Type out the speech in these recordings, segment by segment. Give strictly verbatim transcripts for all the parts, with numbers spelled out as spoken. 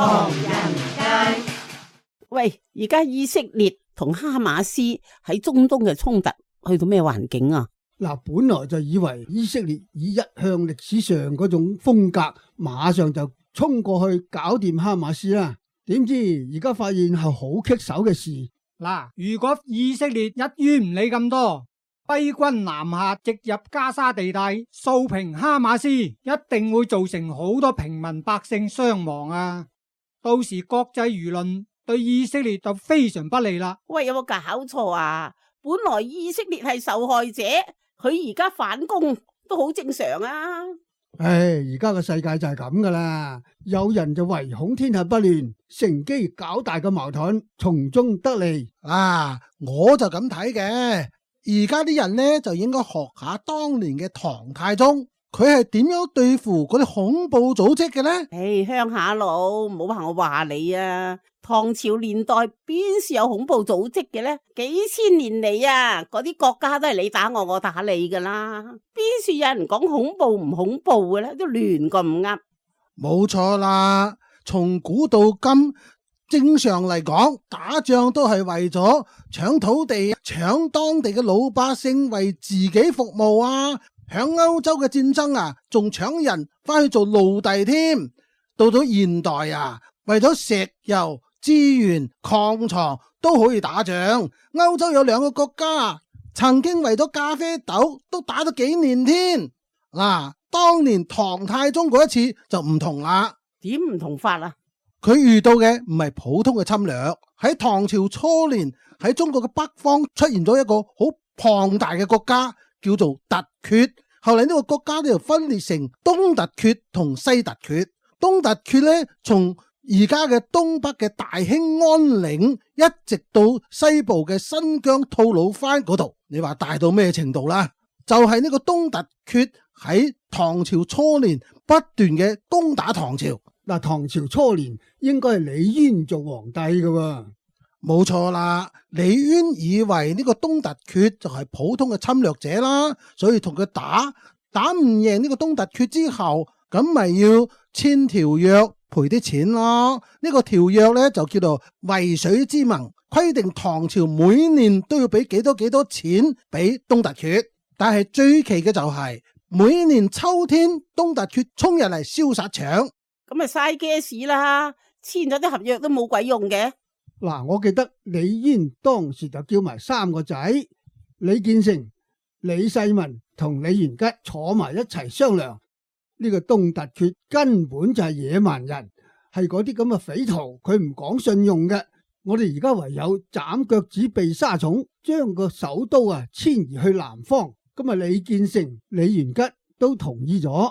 唐人街。喂，而家以色列同哈馬斯喺中東嘅衝突去到咩環境啊？嗱，本來就以為以色列以一向歷史上嗰種風格，馬上就衝過去搞掂哈馬斯啦。點知而家發現係好棘手嘅事。嗱，如果以色列一於唔理咁多，揮軍南下直入加沙地帶，掃平哈馬斯，一定會造成好多平民百姓傷亡啊！到時國際輿論對以色列就非常不利啦。喂，有冇搞錯啊？本來以色列係受害者，佢而家反攻都好正常啊！唉，而家個世界就係咁噶啦，有人就唯恐天下不亂，乘機搞大個矛盾，從中得利。啊，我就咁睇嘅。而家啲人呢就應該學下當年嘅唐太宗，佢係點樣對付嗰啲恐怖組織嘅呢？唉，鄉下佬，唔好話我話你啊！唐朝年代邊時有恐怖組織嘅呢？幾千年嚟啊，嗰啲國家都係你打我，我打你噶啦，邊時有人講恐怖唔恐怖嘅呢？都亂咁唔噏。冇錯啦，從古到今，正常嚟講，打仗都係為咗搶土地、搶當地嘅老百姓，為自己服務啊！響歐洲嘅戰爭啊，仲搶人翻去做奴隸添。到咗現代啊，為咗石油、資源、礦藏都可以打仗。歐洲有兩個國家曾經為咗咖啡豆都打咗幾年添。嗱、啊，當年唐太宗嗰一次就唔同啦。點唔同法啊？佢遇到嘅唔係普通嘅侵略，喺唐朝初年喺中國嘅北方出現咗一個好龐大嘅國家，叫做突厥。後嚟呢個國家呢就分裂成東突厥同西突厥。東突厥呢，從而家嘅東北嘅大興安嶺一直到西部嘅新疆吐魯番嗰度，你話大到咩程度啦？就係、是、呢個東突厥喺唐朝初年不斷嘅攻打唐朝。嗱，唐朝初年應該係李淵做皇帝嘅喎。冇錯啦，李淵以為呢個東突厥就係普通嘅侵略者啦，所以同佢打，打唔贏呢個東突厥之後，咁咪要簽條約賠啲錢咯。呢個條約呢，就叫做渭水之盟，規定唐朝每年都要俾幾多幾多錢俾東突厥。但係最奇嘅就係、是、每年秋天東突厥衝入嚟燒殺搶，咁咪嘥 gas 啦，簽咗啲合約都冇鬼用嘅。嗱，我記得李淵當時就叫埋三個仔，李建成、李世民同李元吉坐埋一齊商量。呢個東突厥根本就係野蠻人，係嗰啲咁嘅匪徒，佢唔講信用嘅。我哋而家唯有斬腳趾避沙蟲，將個首都啊遷移去南方。咁啊，李建成、李元吉都同意咗，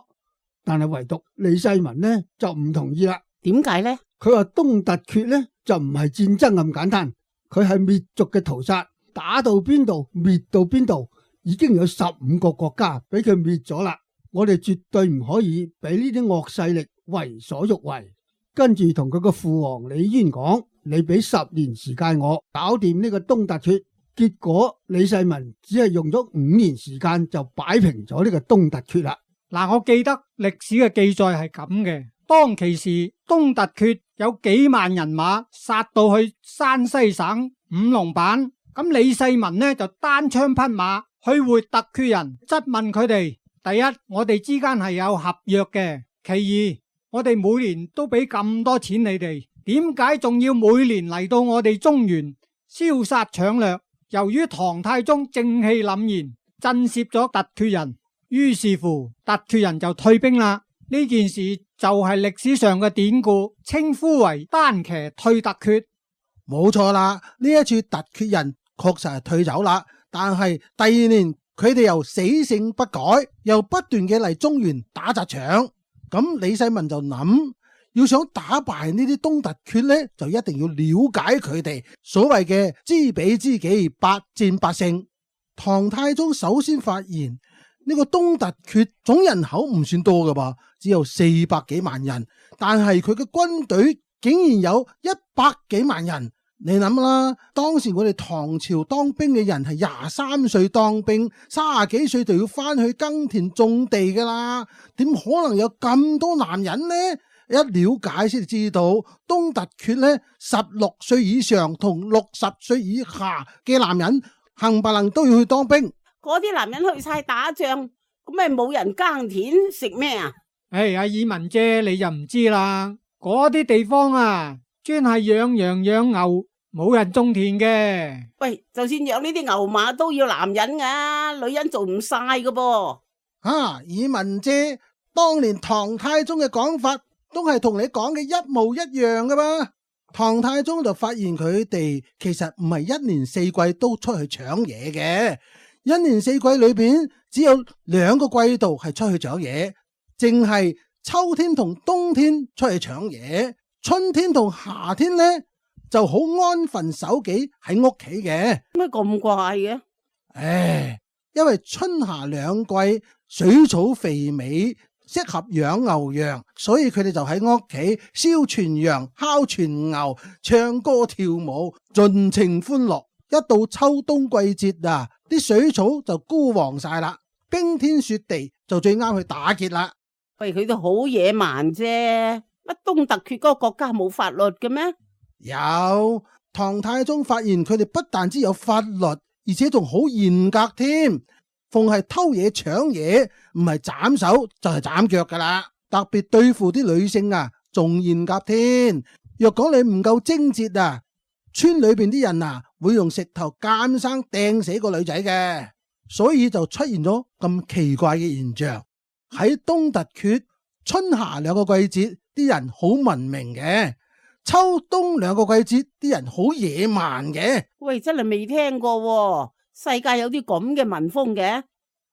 但係唯獨李世民呢就唔同意啦。點解呢？佢話東突厥呢就唔係戰爭咁簡單，佢係滅族嘅屠殺，打到邊度滅到邊度，已經有十五個國家俾佢滅咗啦。我哋絕對唔可以俾呢啲惡勢力為所欲為。跟住同佢個父王李淵講，你俾十年時間我搞掂呢個東突厥。結果李世民只係用咗五年時間就擺平咗呢個東突厥啦。嗱，我記得歷史嘅記載係咁嘅，當其時東突厥有幾萬人馬殺到去山西省五龍版，咁李世民呢就單槍匹馬去會突厥人，質問佢哋：第一，我哋之間係有合約嘅；其二，我哋每年都俾咁多錢你哋，點解仲要每年嚟到我哋中原燒殺搶掠？由於唐太宗正氣凜然，震懾咗突厥人，於是乎突厥人就退兵啦。呢件事就係歷史上嘅典故，稱呼為單騎退突厥。冇錯啦，呢一次突厥人確實係退走啦，但係第二年佢哋又死性不改，又不斷嘅嚟中原打砸搶。咁李世民就諗，要想打敗呢啲東突厥呢，就一定要了解佢哋，所謂嘅知彼知己，百戰百勝。唐太宗首先發現呢個東突厥總人口唔算多噶噃，只有四百幾萬人，但係佢嘅軍隊竟然有一百幾萬人。你諗啦，當時我哋唐朝當兵嘅人係廿三歲當兵，三十幾歲就要翻去耕田種地噶啦，點可能有咁多男人呢？一了解先知道東突厥咧，十六歲以上同六十歲以下嘅男人冚唪唥都要去當兵。嗰啲男人去晒打仗，咁咪冇人耕田食咩啊？唉，阿爾文姐你就唔知啦，嗰啲地方啊，專係養羊養牛，冇人種田嘅。喂，就算養呢啲牛馬都要男人噶，女人做唔晒噶噃。啊，爾文姐，當年唐太宗嘅講法都係同你講嘅一模一樣噶嘛。唐太宗就發現佢哋其實唔係一年四季都出去搶嘢嘅，一年四季裏邊只有兩個季度係出去搶嘢，淨係秋天同冬天出去搶嘢，春天同夏天呢就好安分守己喺屋企嘅。咩咁怪嘅？唉，因為春夏兩季水草肥美，適合養牛羊，所以佢哋就喺屋企燒全羊、烤全牛，唱歌跳舞，盡情歡樂。一到秋冬季節啊，啲水草就枯黃晒啦，冰天雪地就最啱去打劫啦。喂，佢都好野蠻啫，乜東突厥嗰個國家冇法律嘅咩？有，唐太宗發現佢哋不但只有法律，而且仲好嚴格添。逢係偷嘢搶嘢，唔係斬手就係斬腳噶啦。特別對付啲女性啊，仲嚴格添。若講你唔夠貞節啊，村裏邊啲人啊會用石頭監生掟死個女仔嘅。所以就出現咗咁奇怪嘅現象。喺東突厥春夏兩個季節，啲人好文明嘅；秋冬兩個季節，啲人好野蠻嘅。喂，真係未聽過喎。世界有啲咁嘅民風嘅。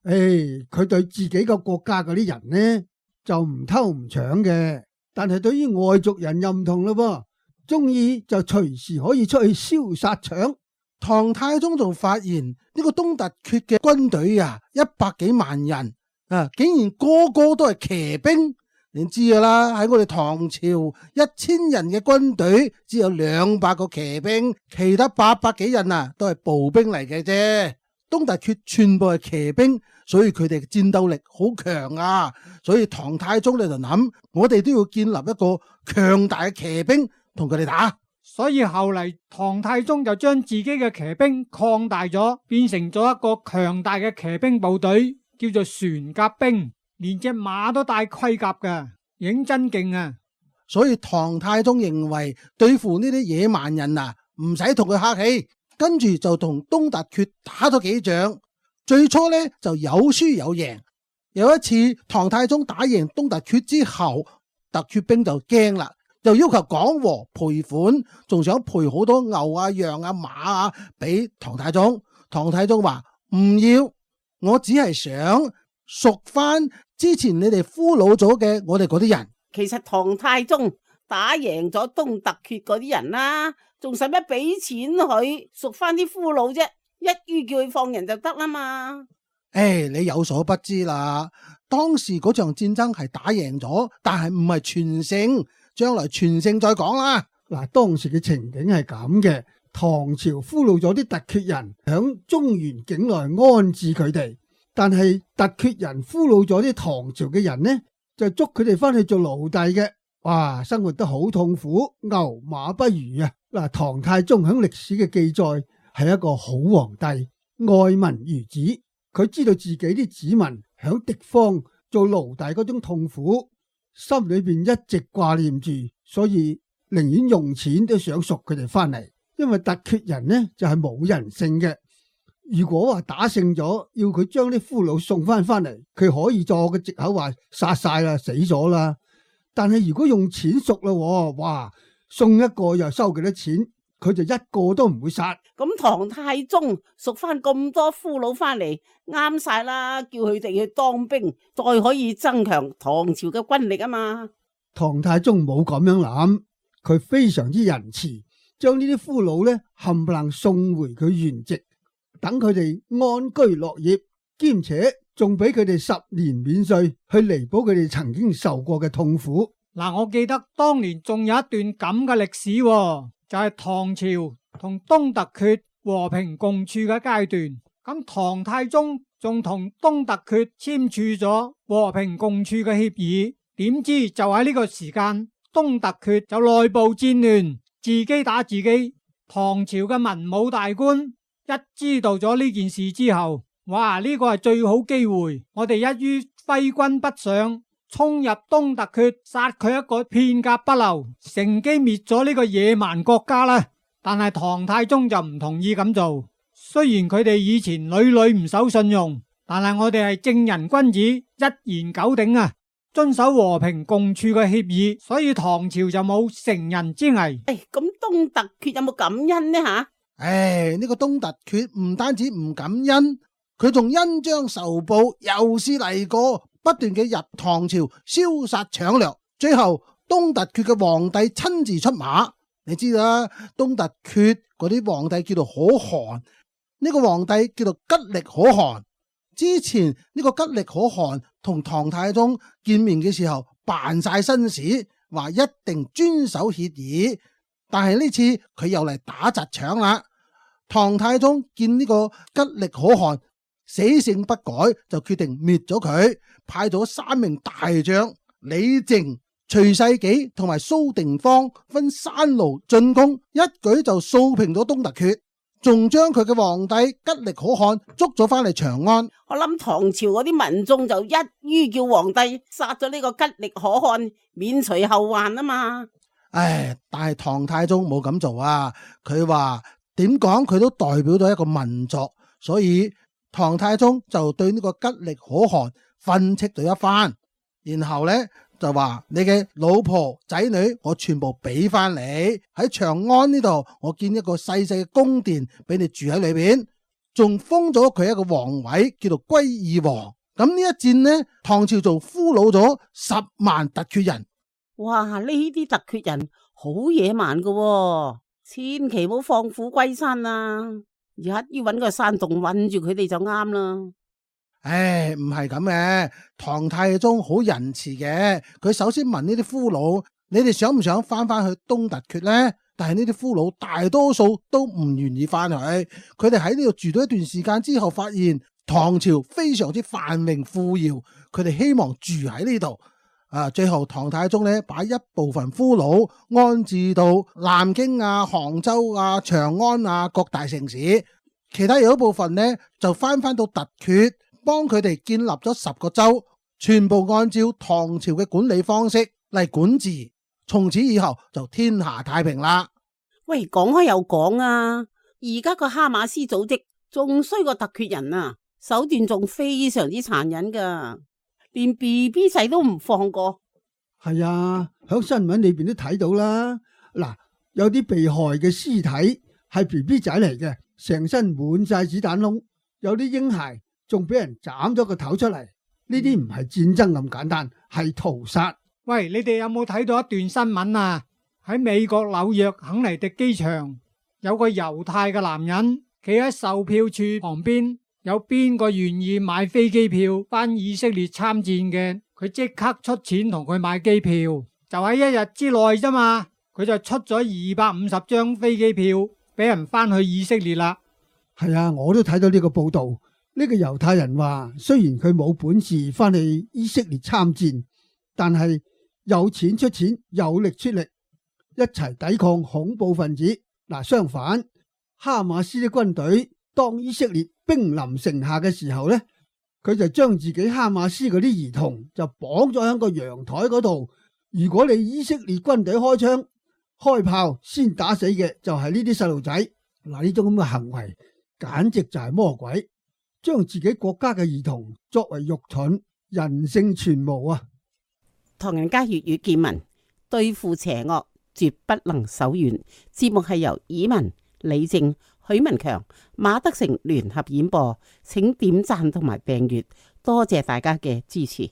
誒，佢對自己個國家嗰啲人呢就唔偷唔搶嘅，但係對於外族人又唔同咯噃，中意就隨時可以出去燒殺搶。唐太宗仲發現呢個東突厥嘅軍隊啊，一百幾萬人啊，竟然個個都係騎兵。你知噶啦，喺我哋唐朝一千人嘅軍隊只有兩百個騎兵，其他八百幾人啊都係步兵嚟嘅啫。東突厥全部係騎兵，所以佢哋嘅戰鬥力好強啊。所以唐太宗咧就諗，我哋都要建立一個強大嘅騎兵同佢哋打。所以後嚟唐太宗就將自己嘅騎兵擴大咗，變成咗一個強大嘅騎兵部隊，叫做船甲兵。連隻馬都帶盔甲噶，認真勁啊！所以唐太宗認為對付呢啲野蠻人啊，唔使同佢客氣，跟住就同東突厥打咗幾仗。最初呢就有輸有贏。有一次唐太宗打贏東突厥之後，突厥兵就驚啦，就要求講和賠款，仲想賠好多牛啊、羊啊、馬啊俾唐太宗。唐太宗話唔要，我只係想贖翻之前你哋俘虜咗嘅我哋嗰啲人。其實唐太宗打贏咗東突厥嗰啲人啦，仲使乜俾錢佢贖翻啲俘虜啫？一於叫佢放人就得啦嘛。誒、哎，你有所不知啦，當時嗰場戰爭係打贏咗，但係唔係全勝，將來全勝再講啦。嗱，當時嘅情景係咁嘅，唐朝俘虜咗啲突厥人，響中原境內安置佢哋。但係突厥人俘虜咗啲唐朝嘅人呢，就捉佢哋翻去做奴隸嘅，哇，生活得好痛苦，牛馬不如啊！嗱，唐太宗響歷史嘅記載係一個好皇帝，愛民如子，佢知道自己啲子民響敵方做奴隸嗰種痛苦，心裏邊一直掛念住，所以寧願用錢都想贖佢哋翻嚟，因為突厥人呢就係冇人性嘅。如果話打勝咗，要佢將啲俘虜送翻翻嚟，佢可以作個藉口話殺晒啦，死咗啦。但係如果用錢贖啦，哇，送一個又收幾多錢，佢就一個都唔會殺。咁唐太宗贖翻咁多俘虜翻嚟，啱晒啦，叫佢哋去當兵，再可以增強唐朝嘅軍力啊嘛。唐太宗冇咁樣諗，佢非常之仁慈，將呢啲俘虜咧冚唪唥送回佢原籍。等佢哋安居樂業，兼且仲俾佢哋十年免稅，去彌補佢哋曾經受過嘅痛苦。嗱，我記得當年仲有一段咁嘅歷史，就係唐朝同東突厥和平共處嘅階段。咁唐太宗仲同東突厥簽署咗和平共處嘅協議，點知就喺呢個時間，東突厥就內部戰亂，自己打自己。唐朝嘅文武大官一知道咗呢件事之後，哇！呢個係最好機會，我哋一於揮軍北上，衝入東突厥，殺佢一個片甲不留，乘機滅咗呢個野蠻國家啦。但係唐太宗就唔同意咁做。雖然佢哋以前屢屢唔守信用，但係我哋係正人君子，一言九鼎啊，遵守和平共處嘅協議，所以唐朝就冇成人之危。誒，咁東突厥有冇感恩呢吓？誒，呢個東突厥唔單止唔感恩，佢仲恩將仇報，又是嚟過，不斷嘅入唐朝燒殺搶掠，最後東突厥嘅皇帝親自出馬。你知啦，東突厥嗰啲皇帝叫做可汗，呢個皇帝叫做吉力可汗。之前呢個吉力可汗同唐太宗見面嘅時候扮晒紳士，話一定遵守協議，但係呢次佢又嚟打砸搶啦。唐太宗見呢個吉力可汗死性不改，就決定滅咗佢，派咗三名大將李靖、徐世紀同埋蘇定方分三路進攻，一舉就掃平咗東突厥，仲將佢嘅皇帝吉力可汗捉咗翻嚟長安。我諗唐朝嗰啲民眾就一於叫皇帝殺咗呢個吉力可汗，免除後患啊嘛。唉，但係唐太宗冇咁做啊，佢話點講佢都代表咗一個民族，所以唐太宗就對呢個吉力可汗訓斥咗一番，然後呢就話你嘅老婆仔女我全部俾翻你，喺長安呢度我建一個細細嘅宮殿俾你住喺裏邊，仲封咗佢一個皇位叫做歸義王。咁呢一戰呢，唐朝就俘虜咗十萬突厥人。哇！呢啲突厥人好野蠻噶喎，千祈唔好放虎歸山啊！一於搵個山洞困住佢哋就啱啦。唉，唔係咁嘅，唐太宗好仁慈嘅。佢首先問呢啲俘虜，你哋想唔想翻翻去東突厥呢？但係呢啲俘虜大多數都唔願意翻去。佢哋喺呢度住咗一段時間之後，發現唐朝非常之繁榮富饒，佢哋希望住喺呢度。啊，最後唐太宗呢，把一部分俘虜安置到南京啊、杭州啊、長安啊各大城市，其他有一部分呢就翻翻到突厥，幫佢哋建立咗十個州，全部按照唐朝嘅管理方式嚟管治，從此以後就天下太平啦。喂，講開又講啊，而家個哈馬斯組織仲衰過突厥人啊，手段仲非常之殘忍噶，連 B B 仔都唔放過。係啊，響新聞裏邊都睇到啦。嗱，有啲被害嘅屍體係 B B 仔嚟嘅，成身滿晒子彈窿，有啲嬰孩仲俾人斬咗個頭出嚟。呢啲唔係戰爭咁簡單，係屠殺。喂，你哋有冇睇到一段新聞啊？喺美國紐約肯尼迪機場，有個猶太嘅男人企喺售票處旁邊，有邊個願意買飛機票返以色列參戰嘅，佢即刻出錢同佢買機票，就喺一日之內啫嘛，佢就出咗二百五十張飛機票俾人返去以色列啦。係啊，我都睇到呢個報道。呢個猶太人話，雖然佢冇本事返去以色列參戰，但係有錢出錢，有力出力，一齊抵抗恐怖分子。嗱，相反，哈馬斯啲軍隊當以色列兵臨城下嘅時候呢，佢就將自己哈馬斯嗰啲兒童就綁咗喺個陽台嗰度。如果你以色列軍隊開槍開炮，先打死嘅就係呢啲細路仔。嗱，呢種咁嘅行為簡直就係魔鬼，將自己國家嘅兒童作為肉盾，人性全無啊！唐人街粵語見聞，對付邪惡絕不能手軟。節目係由以文、李正、許文強、馬德成聯合演播，請點讚同埋訂閱，多謝大家嘅支持。